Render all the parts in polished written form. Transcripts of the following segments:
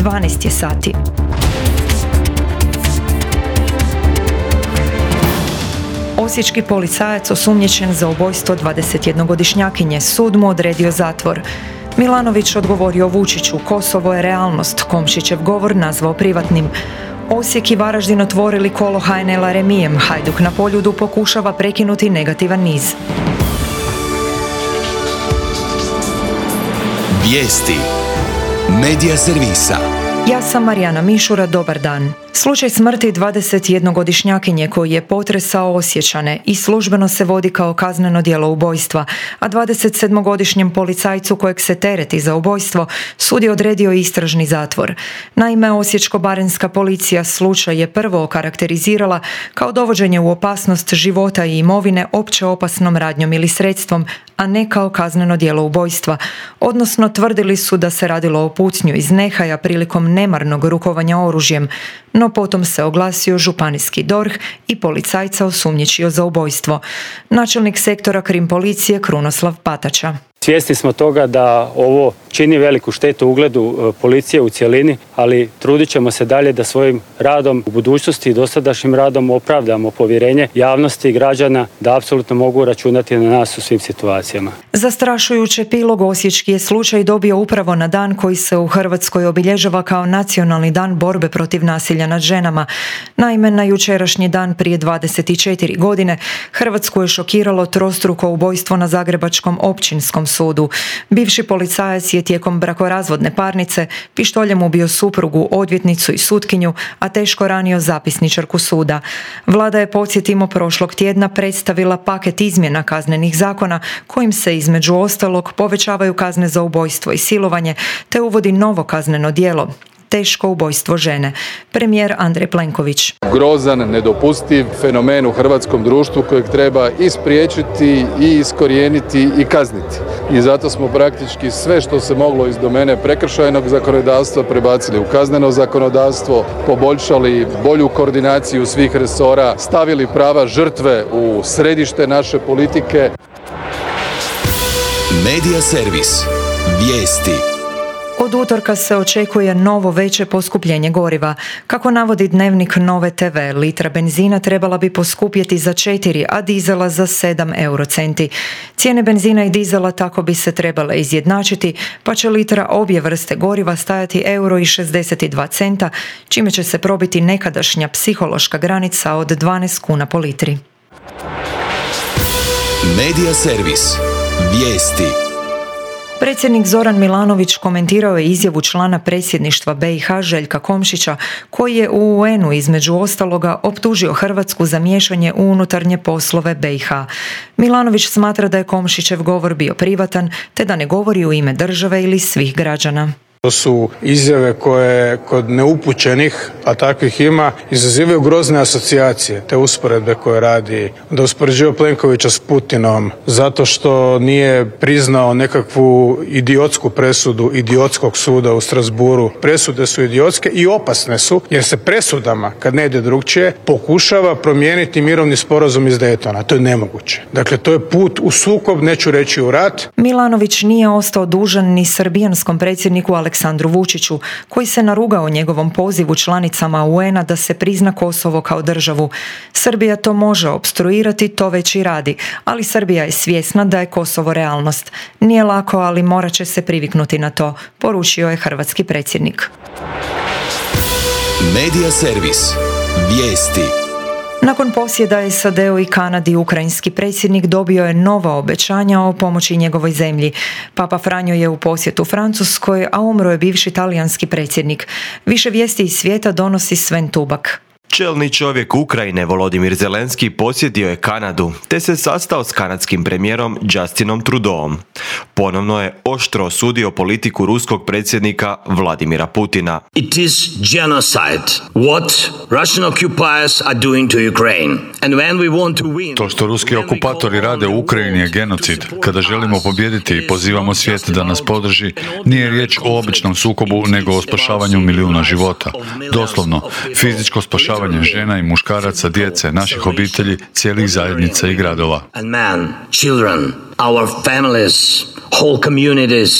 12 je sati. Osječki policajac osumnjičen za ubojstvo 21-godišnjakinje, sud mu odredio zatvor. Milanović odgovorio Vučiću, Kosovo je realnost, Komšićev govor nazvao privatnim. Osijek i Varaždin otvorili kolo HNL-a remijem, Hajduk na Poljudu pokušava prekinuti negativan niz. Vijesti Medija servisa. Ja sam Marijana Mišura, dobar dan. Slučaj smrti 21-godišnjakinje koji je potresao Osječane i službeno se vodi kao kazneno djelo ubojstva, a 27-godišnjem policajcu kojeg se tereti za ubojstvo sud je odredio istražni zatvor. Naime, osječko-baranjska policija slučaj je prvo okarakterizirala kao dovođenje u opasnost života i imovine opće opasnom radnjom ili sredstvom, a ne kao kazneno djelo ubojstva, odnosno tvrdili su da se radilo o pucnju iz nehaja prilikom nemarnog rukovanja oružjem, no potom se oglasio županijski DORH i policajca osumnjičio za ubojstvo. Načelnik sektora krim policije Krunoslav Patača. Svjesni smo toga da ovo čini veliku štetu ugledu policije u cjelini, ali trudit ćemo se dalje da svojim radom u budućnosti i dosadašnjim radom opravdamo povjerenje javnosti i građana da apsolutno mogu računati na nas u svim situacijama. Zastrašujući epilog osječki je slučaj dobio upravo na dan koji se u Hrvatskoj obilježava kao nacionalni dan borbe protiv nasilja nad ženama. Naime, na jučerašnji dan prije 24 godine Hrvatsku je šokiralo trostruko ubojstvo na zagrebačkom općinskom sudu. Bivši policajac je tijekom brakorazvodne parnice pištoljem ubio suprugu, odvjetnicu i sutkinju, a teško ranio zapisničarku suda. Vlada je, podsjetimo, prošlog tjedna predstavila paket izmjena kaznenih zakona kojim se između ostalog povećavaju kazne za ubojstvo i silovanje te uvodi novo kazneno djelo, teško ubojstvo žene. Premijer Andrej Plenković. Grozan, nedopustiv fenomen u hrvatskom društvu kojeg treba i spriječiti i iskorijeniti i kazniti. I zato smo praktički sve što se moglo iz domene prekršajnog zakonodavstva prebacili u kazneno zakonodavstvo, poboljšali bolju koordinaciju svih resora, stavili prava žrtve u središte naše politike. Medija servis. Vijesti. Od utorka se očekuje novo veće poskupljenje goriva. Kako navodi Dnevnik Nove TV, litra benzina trebala bi poskupjeti za 4, a dizela za 7 eurocenti. Cijene benzina i dizela tako bi se trebale izjednačiti, pa će litra obje vrste goriva stajati €1,62, čime će se probiti nekadašnja psihološka granica od 12 kuna po litri. Medija servis. Vijesti. Predsjednik Zoran Milanović komentirao je izjavu člana predsjedništva BiH Željka Komšića, koji je u UN-u između ostaloga optužio Hrvatsku za miješanje u unutarnje poslove BiH. Milanović smatra da je Komšićev govor bio privatan, te da ne govori u ime države ili svih građana. To su izjave koje kod neupućenih, a takvih ima, izazivaju grozne asocijacije, te usporedbe koje radi, da uspoređuje Plenkovića s Putinom, zato što nije priznao nekakvu idiotsku presudu idiotskog suda u Strasburu. Presude su idiotske i opasne su, jer se presudama, kad ne ide drugčije, pokušava promijeniti mirovni sporazum iz Daytona. To je nemoguće. Dakle, to je put u sukob, neću reći u rat. Milanović nije ostao dužan ni srbijanskom predsjedniku Aleksandru Vučiću, koji se narugao njegovom pozivu članicama UN-a da se prizna Kosovo kao državu. Srbija to može opstruirati, to već i radi, ali Srbija je svjesna da je Kosovo realnost. Nije lako, ali morat će se priviknuti na to, poručio je hrvatski predsjednik. Medija servis. Vijesti. Nakon posjeda SAD-u i Kanadi, ukrajinski predsjednik dobio je nova obećanja o pomoći njegovoj zemlji. Papa Franjo je u posjetu Francuskoj, a umro je bivši talijanski predsjednik. Više vijesti iz svijeta donosi Sven Tubak. Čelni čovjek Ukrajine Volodimir Zelenski posjetio je Kanadu te se sastao s kanadskim premijerom Justinom Trudeauom. Ponovno je oštro osudio politiku ruskog predsjednika Vladimira Putina. It is genocide what Russian occupiers are doing to Ukraine. And when we want to win, to što ruski okupatori rade u Ukrajini je genocid. Kada želimo pobijediti i pozivamo svijet da nas podrži, nije riječ o običnom sukobu nego o spašavanju milijuna života. Doslovno, fizičko spašavanje žena i muškaraca, djece, naših obitelji, cijelih zajednica i gradova. And men, children, our families, whole communities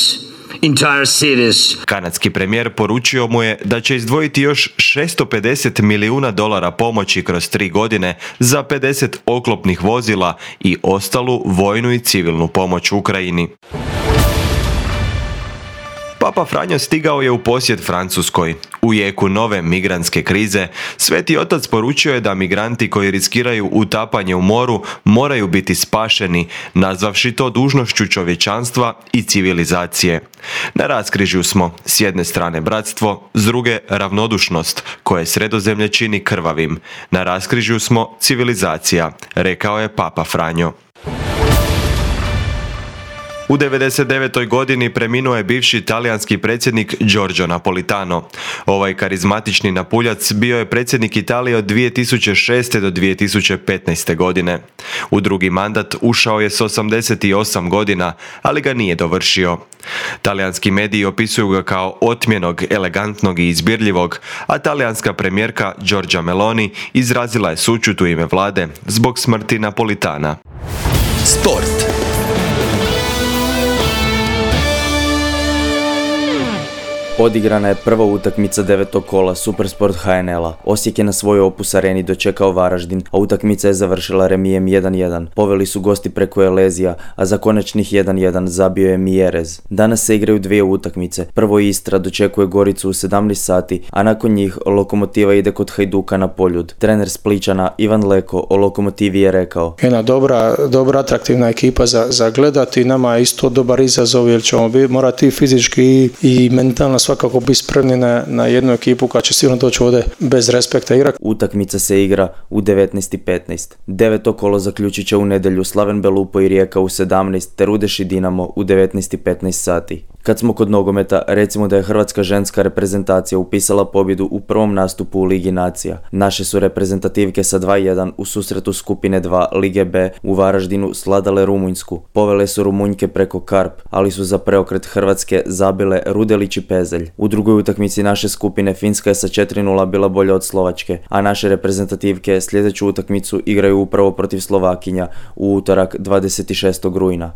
entire cities. Kanadski premijer poručio mu je da će izdvojiti još $650 milijuna pomoći kroz 3 godine za 50 oklopnih vozila i ostalu vojnu i civilnu pomoć Ukrajini. Papa Franjo stigao je u posjet Francuskoj. U jeku nove migrantske krize, Sveti Otac poručio je da migranti koji riskiraju utapanje u moru moraju biti spašeni, nazvavši to dužnošću čovječanstva i civilizacije. Na raskrižju smo, s jedne strane bratstvo, s druge ravnodušnost, koje Sredozemlje čini krvavim. Na raskrižju smo civilizacija, rekao je Papa Franjo. U 99. godini preminuo je bivši talijanski predsjednik Giorgio Napolitano. Ovaj karizmatični napuljac bio je predsjednik Italije od 2006. do 2015. godine. U drugi mandat ušao je s 88 godina, ali ga nije dovršio. Talijanski mediji opisuju ga kao otmjenog, elegantnog i izbirljivog, a talijanska premijerka Giorgia Meloni izrazila je sućut u ime vlade zbog smrti Napolitana. Sport. Odigrana je prva utakmica 9. kola Supersport HNL-a. Osijek je na svojoj Opus areni dočekao Varaždin, a utakmica je završila remijem 1-1. Poveli su gosti preko Elezija, a za konačnih 1-1 zabio je Mjerez. Danas se igraju dvije utakmice. Prvo Istra dočekuje Goricu u 17 sati, a nakon njih Lokomotiva ide kod Hajduka na Poljud. Trener Spličana Ivan Leko o Lokomotivi je rekao: jedna dobra atraktivna ekipa za gledati. Nama je isto dobar izazov jer ćemo morati fizički i mentalno svakako biti spremni na jednu ekipu koja će sigurno doći ovdje bez respekta igrati. Utakmica se igra u 19:15. 9. kolo zaključit će u nedjelju Slaven Belupo i Rijeka u 17, te Rudeš i Dinamo u 19:15 sati. Kad smo kod nogometa, recimo da je hrvatska ženska reprezentacija upisala pobjedu u prvom nastupu u Ligi nacija. Naše su reprezentativke sa 2-1 u susretu skupine 2 Lige B u Varaždinu sladale Rumunjsku. Povele su Rumunjke preko Karp, ali su za preokret Hrvatske zabile Rudelić i Pezelj. U drugoj utakmici naše skupine Finska je sa 4-0 bila bolja od Slovačke, a naše reprezentativke sljedeću utakmicu igraju upravo protiv Slovakinja u utorak 26. rujna.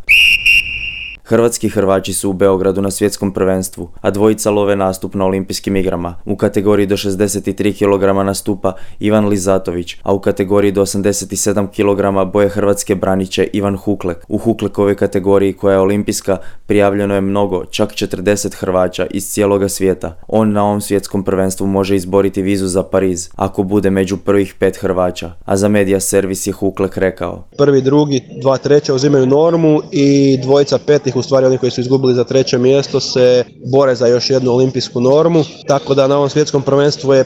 Hrvatski Hrvači su u Beogradu na svjetskom prvenstvu, a dvojica love nastup na olimpijskim igrama. U kategoriji do 63 kg nastupa Ivan Lizatović, a u kategoriji do 87 kg boje Hrvatske braniće Ivan Huklek. U Huklekovoj kategoriji, koja je olimpijska, prijavljeno je mnogo, čak 40 Hrvaća iz cijeloga svijeta. On na ovom svjetskom prvenstvu može izboriti vizu za Pariz, ako bude među prvih 5 Hrvaća. A za Media Servis je Huklek rekao: prvi, drugi, 2 treća uzimaju normu i dvojica petih, u stvari oni koji su izgubili za 3. mjesto, se bore za još jednu olimpijsku normu, tako da na ovom svjetskom prvenstvu je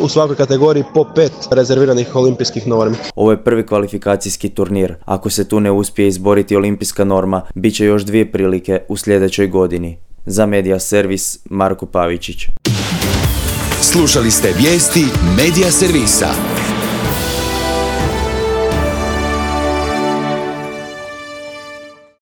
u svakoj kategoriji po 5 rezerviranih olimpijskih normi. Ovo je prvi kvalifikacijski turnir. Ako se tu ne uspije izboriti olimpijska norma, bit će još 2 prilike u sljedećoj godini. Za Media Servis, Marko Pavičić. Slušali ste vijesti Media Servisa.